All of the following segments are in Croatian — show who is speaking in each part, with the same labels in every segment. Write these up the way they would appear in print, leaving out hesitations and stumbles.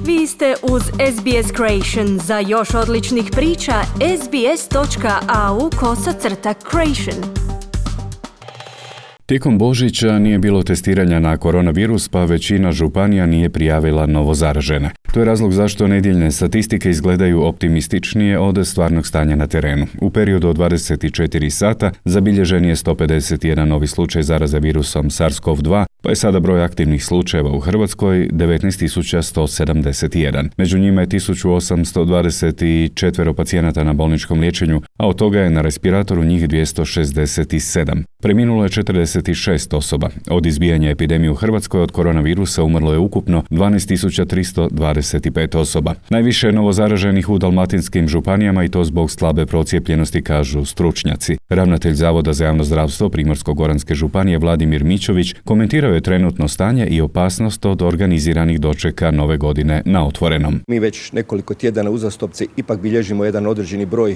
Speaker 1: Vi ste uz SBS Creation. Za još odličnih priča, sbs.au/creation.
Speaker 2: Tijekom Božića nije bilo testiranja na koronavirus, pa većina županija nije prijavila novozaražene. To je razlog zašto nedjeljne statistike izgledaju optimističnije od stvarnog stanja na terenu. U periodu od 24 sata zabilježen je 151 novi slučaj zaraze virusom SARS-CoV-2, pa je sada broj aktivnih slučajeva u Hrvatskoj 19.171. Među njima je 1824 pacijenata na bolničkom liječenju, a od toga je na respiratoru njih 267. Preminulo je 46 osoba. Od izbijanja epidemije u Hrvatskoj od koronavirusa umrlo je ukupno 12.325 osoba. Najviše je novozaraženih u dalmatinskim županijama i to zbog slabe procijepljenosti, kažu stručnjaci. Ravnatelj Zavoda za javno zdravstvo Primorsko-goranske županije Vladimir Mićović komentirao je trenutno stanje i opasnost od organiziranih dočeka nove godine na otvorenom.
Speaker 3: Mi već nekoliko tjedana uzastopce ipak bilježimo jedan određeni broj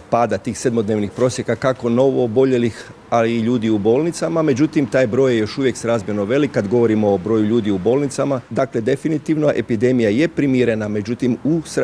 Speaker 3: pada tih sedmodnevnih prosjeka kako novo oboljelih, ali i ljudi u bolnicama. Međutim, taj broj je još uvijek srazmjerno velik kad govorimo o broju ljudi u bolnicama. Dakle, definitivno epidemija je primirena, međutim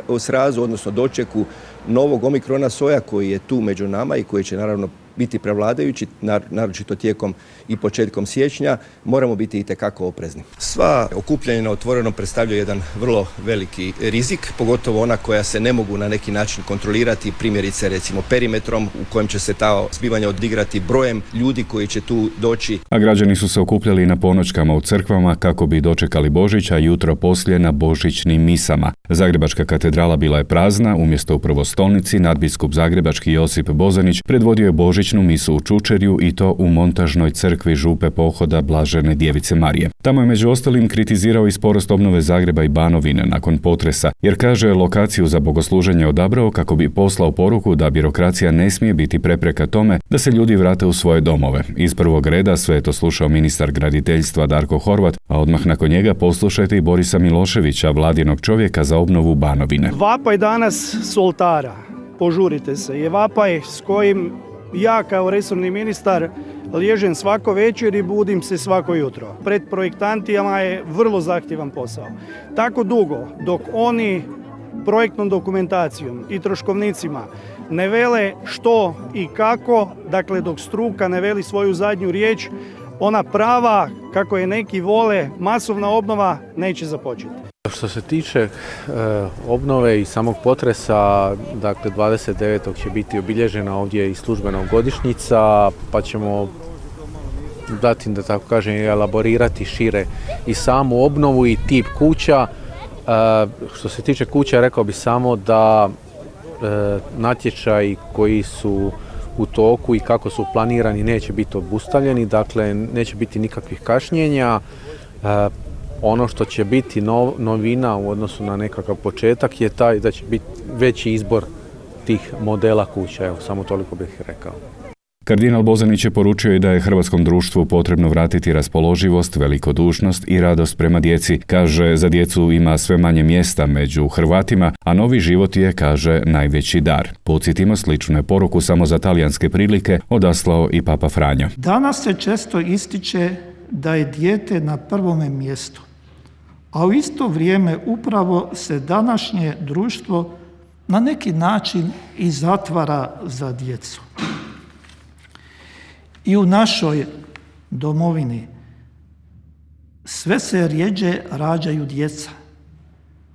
Speaker 3: u srazu, odnosno dočeku novog omikrona soja koji je tu među nama i koji će naravno biti prevladajući, naročito tijekom i početkom siječnja, moramo biti itekako oprezni. Sva okupljanja na otvorenom predstavljaju jedan vrlo veliki rizik, pogotovo ona koja se ne mogu na neki način kontrolirati, primjerice recimo perimetrom u kojem će se ta zbivanja odigrati, brojem ljudi koji će tu doći.
Speaker 2: A građani su se okupljali na ponoćkama u crkvama kako bi dočekali Božić, a jutro poslije na božićnim misama. Zagrebačka katedrala bila je prazna, umjesto u prvostolnici nadbiskup zagrebački Josip Bozanić predvodio je božićnu misu u Čučerju i to u montažnoj crkvi Župe Pohoda Blažene Djevice Marije. Tamo je među ostalim kritizirao i sporost obnove Zagreba i Banovine nakon potresa, jer kaže lokaciju za bogosluženje odabrao kako bi poslao poruku da birokracija ne smije biti prepreka tome da se ljudi vrate u svoje domove. Iz prvog reda sve je to slušao ministar graditeljstva Darko Horvat, a odmah nakon njega poslušajte i Borisa Miloševića, vladinog čovjeka za obnovu Banovine.
Speaker 4: Vapaj danas s oltara, požurite se, je vapaj s kojim ja kao resorni ministar liježem svako večer i budim se svako jutro. Pred projektantima je vrlo zahtjevan posao. Tako dugo dok oni projektnom dokumentacijom i troškovnicima ne vele što i kako, dakle dok struka ne veli svoju zadnju riječ, ona prava, kako je neki vole, masovna obnova neće započeti.
Speaker 5: Što se tiče obnove i samog potresa, dakle 29. će biti obilježena ovdje i službena godišnjica, pa ćemo dati, da tako kažem, elaborirati šire i samu obnovu i tip kuća. Što se tiče kuća, rekao bih samo da natječaji koji su u toku i kako su planirani neće biti obustavljeni, dakle neće biti nikakvih kašnjenja. Ono što će biti novina u odnosu na nekakav početak je taj da će biti veći izbor tih modela kuća, evo samo toliko bih rekao.
Speaker 2: Kardinal Bozanić je poručio i da je hrvatskom društvu potrebno vratiti raspoloživost, velikodušnost i radost prema djeci. Kaže, za djecu ima sve manje mjesta među Hrvatima, a novi život je, kaže, najveći dar. Podsjetimo, sličnu je poruku samo za talijanske prilike odaslao i Papa Franjo.
Speaker 6: Danas se često ističe da je dijete na prvome mjestu, a u isto vrijeme upravo se današnje društvo na neki način i zatvara za djecu. I u našoj domovini sve se rjeđe rađaju djeca,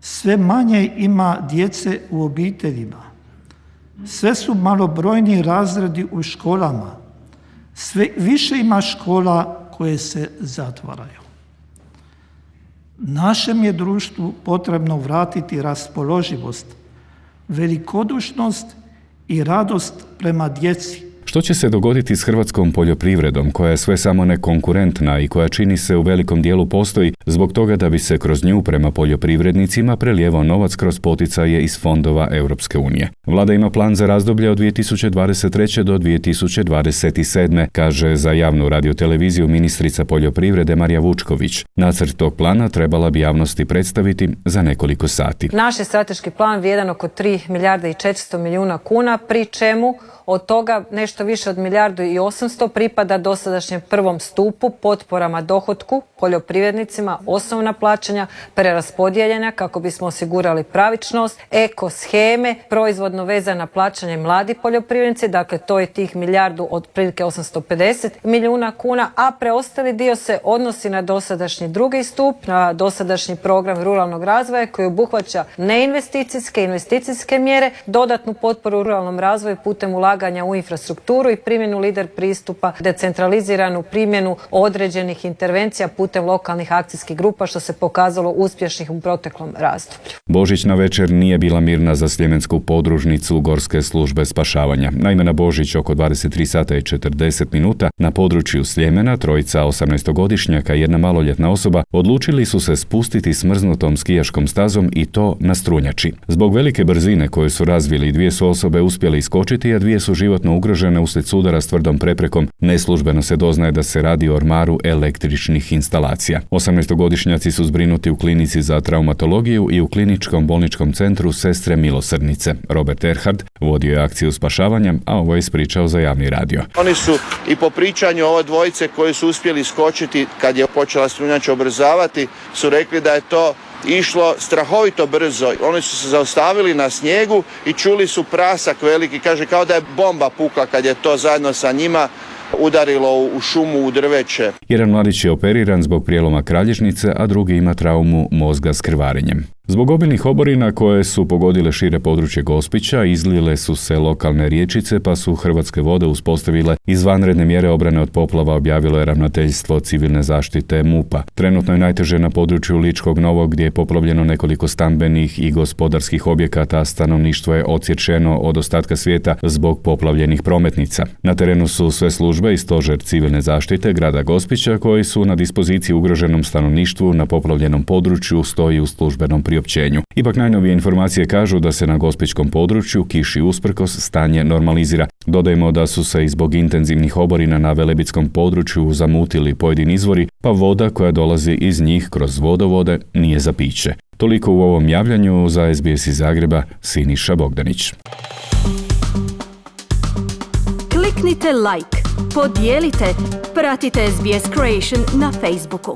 Speaker 6: sve manje ima djece u obiteljima, sve su malobrojni razredi u školama, sve više ima škola koje se zatvaraju. Našem je društvu potrebno vratiti raspoloživost, velikodušnost i radost prema djeci.
Speaker 2: Što će se dogoditi s hrvatskom poljoprivredom, koja je sve samo ne konkurentna i koja čini se u velikom dijelu postoji zbog toga da bi se kroz nju prema poljoprivrednicima prelijevao novac kroz poticaje iz fondova Europske unije. Vlada ima plan za razdoblje od 2023. do 2027. kaže za javnu radioteleviziju ministrica poljoprivrede Marija Vučković. Nacrt tog plana trebala bi javnosti predstaviti za nekoliko sati.
Speaker 7: Naš je strateški plan vrijedan oko 3 milijarde i 400 milijuna kuna, pri čemu od toga nešto nešto više od 1,8 pripada dosadašnjem prvom stupu, potporama dohotku, poljoprivrednicima, osnovna plaćanja, preraspodijeljena kako bismo osigurali pravičnost, eko sheme, proizvodno vezana plaćanja mladi poljoprivrednici, dakle to je tih milijardu otprilike 850 milijuna kuna, a preostali dio se odnosi na dosadašnji drugi stup, na dosadašnji program ruralnog razvoja koji obuhvaća neinvesticijske, investicijske mjere, dodatnu potporu ruralnom razvoju putem ulaganja u infrastrukturu i primjenu lider pristupa, decentraliziranu primjenu određenih intervencija putem lokalnih akcijskih grupa, što se pokazalo uspješnih u proteklom razdoblju.
Speaker 2: Božićna večer nije bila mirna za sljemensku podružnicu Gorske službe spašavanja. Naime, na Božić oko 23 sata i 40 minuta na području Sljemena trojica 18-godišnjaka i jedna maloljetna osoba odlučili su se spustiti smrznutom skijaškom stazom i to na strunjači. Zbog velike brzine koju su razvili, dvije su osobe uspjeli iskočiti, a dvije su životno ugrožene uslijed sudara s tvrdom preprekom. Neslužbeno se doznaje da se radi o ormaru električnih instalacija. 18-godišnjaci su zbrinuti u klinici za traumatologiju i u kliničkom bolničkom centru Sestre milosrdnice. Robert Erhard vodio je akciju spašavanja, a ovo je ispričao za javni radio.
Speaker 8: Oni su i po pričanju ove dvojice koji su uspjeli iskočiti kad je počela strunjača ubrzavati, su rekli da je to išlo strahovito brzo. Oni su se zaustavili na snijegu i čuli su prasak veliki, kaže kao da je bomba pukla kad je to zajedno sa njima udarilo u šumu, u drveće.
Speaker 2: Jedan mladić je operiran zbog prijeloma kralježnice, a drugi ima traumu mozga s krvarenjem. Zbog obilnih oborina koje su pogodile šire područje Gospića, izlile su se lokalne rječice, pa su Hrvatske vode uspostavile izvanredne mjere obrane od poplava, objavilo je ravnateljstvo civilne zaštite MUP-a. Trenutno je najteže na području Ličkog Novog, gdje je poplavljeno nekoliko stambenih i gospodarskih objekata, a stanovništvo je odsječeno od ostatka svijeta zbog poplavljenih prometnica. Na terenu su sve službe i stožer civilne zaštite grada Gospića, koji su na dispoziciji ugroženom stanovništvu na poplavljenom području, stoji u službenom priopćenju. Ipak najnovije informacije kažu da se na gospićkom području kiši usprkos stanje normalizira. Dodajmo da su se i zbog intenzivnih oborina na velebitskom području zamutili pojedini izvori, pa voda koja dolazi iz njih kroz vodovode nije za piće. Toliko u ovom javljanju. Za SBS iz Zagreba, Siniša Bogdanić.
Speaker 1: Kliknite like, podijelite, pratite SBS Creation na Facebooku.